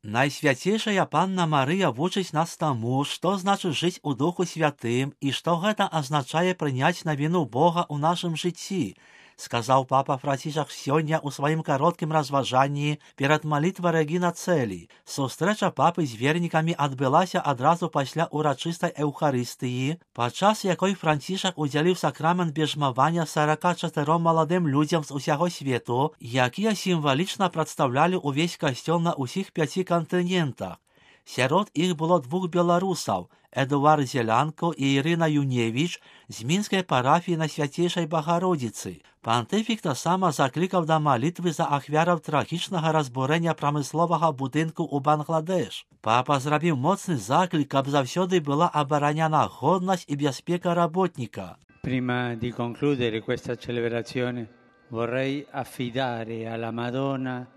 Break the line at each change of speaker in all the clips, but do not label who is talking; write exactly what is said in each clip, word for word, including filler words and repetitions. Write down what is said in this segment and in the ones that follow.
Найсвяцейшая Панна Марыя вучыць нас таму, што значыць жыць у Духу Святым і што гэта азначае прыняць навіну Бога ў нашым жыцці, сказаў папа Францішак сёння ў сваім кароткім разважанні перад малітвай Рэгіна Цэлі. Сустрэча папы з вернікамі адбылася адразу пасля урачыстай эўхарыстыі, падчас якой Францішак удзяліў сакрамент бежмавання сарака чатыром маладым людзям з усяго свету, якія сімвалічна прадстаўлялі ўвесь касцёл на ўсіх пяці кантынентах. Сярод іх было двух беларусаў, Эдуард Зелянко і Ірына Юневіч з мінскай парафіі на Свяцейшай Багародзіцы. Пантыфік таксама заклікаў да малітвы за ахвяраў трагічнага разбурэння прамысловага будынку ў Бангладеш. Папа зрабіў моцны заклік, каб заўсёды была абараняна годнасць і бяспека работніка.
Prima di concludere questa celebrazione vorrei affidare alla Madonna.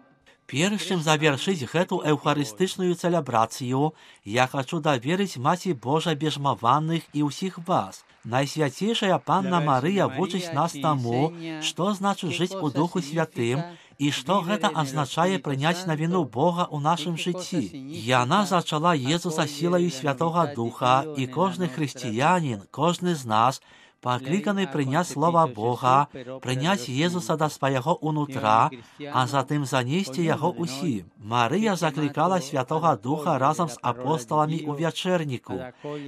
Перш чым завяршыць гэту эўхарыстычную цэлебрацыю, я хачу даверыць Маці Божай бежмаваных і ўсіх вас. Найсвяцейшая Панна Марыя вучыць нас таму, што значыць жыць у Духу Святым і што гэта азначае прыняць навіну Бога ў нашым жыцці. Яна зачала Езуса сілаю Святога Духа, і кожны хрысціянін, кожны з нас пакліканы прыняць слова Бога, прыняць Езуса да свайго ўнутра, а затым занесці яго ўсім. Марыя заклікала Святога Духа разам з апосталамі ў вячэрніку.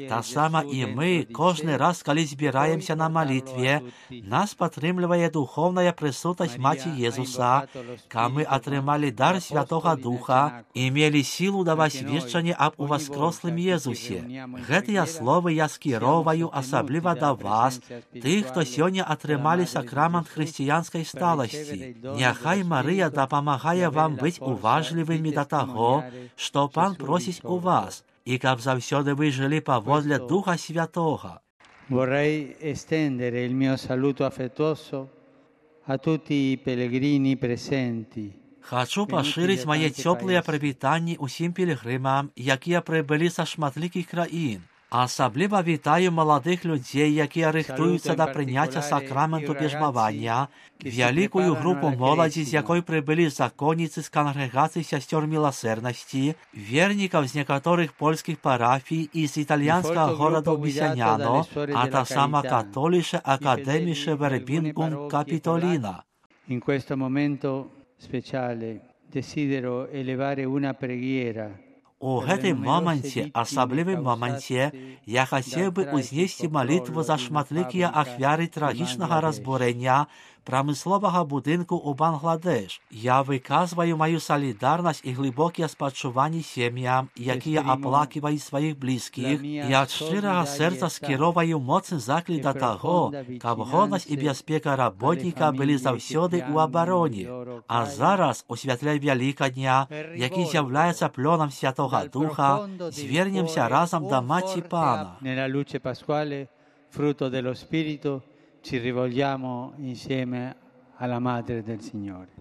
Таксама і мы, кожны раз, калі збіраемся на малітве, нас падтрымлівае духоўная прысутнасць Маці Езуса, каб мы атрымалі дар Святога Духа і мелі сілу даваць сведчанне аб уваскрослым Езусе. Гэтыя словы я скіроўваю асабліва да вас, тых, хто сёння атрымалі сакрамент хрысціянскай сталасці. Няхай Марыя дапамагае вам быць уважлівымі да таго, што Пан просіць у вас, і каб заўсёды вы жылі паводле Духа Святога.
Vorrei estendere il mio saluto affettuoso a tutti i pellegrini presenti.
Хачу пашырыць мае цёплыя прывітанні ўсім пілігрымам, якія прыбылі са шматлікіх краін. Асабліва вітаю маладых людзей, якія рыхтуюцца да прыняцця сакраменту бежмавання, вялікую групу моладзі, з якой прыбылі законніцы з кангрэгацыі сясцёр міласэрнасці, вернікаў з некаторых польскіх парафій і з італьянскага гораду Бісяняно, а таксама католіше акадэміше вербінгум Капітоліна.
In questo momento speciale desidero elevare una preghiera.
У гэтым моманце, асаблівым моманце, я хацеў бы ўзнесці малітву за шматлікія ахвяры трагічнага разбурэння прамысловага будынку ў Бангладеш. Я выказваю маю салідарнасць і глыбокія спачуванні сем'ям, якія аплаківаюць сваіх блізкіх, і ад шчырага сэрца скіроўваю моцны заклік да таго, каб годнасць і бяспека работніка былі заўсёды ў абароне. А зараз, у святле Вялікадня, які з'яўляецца плёнам Святога Духа, звернемся разам да Маці Пана.
Nella luce pasquale, frutto dello Spirito, ci rivolgiamo insieme alla Madre del Signore.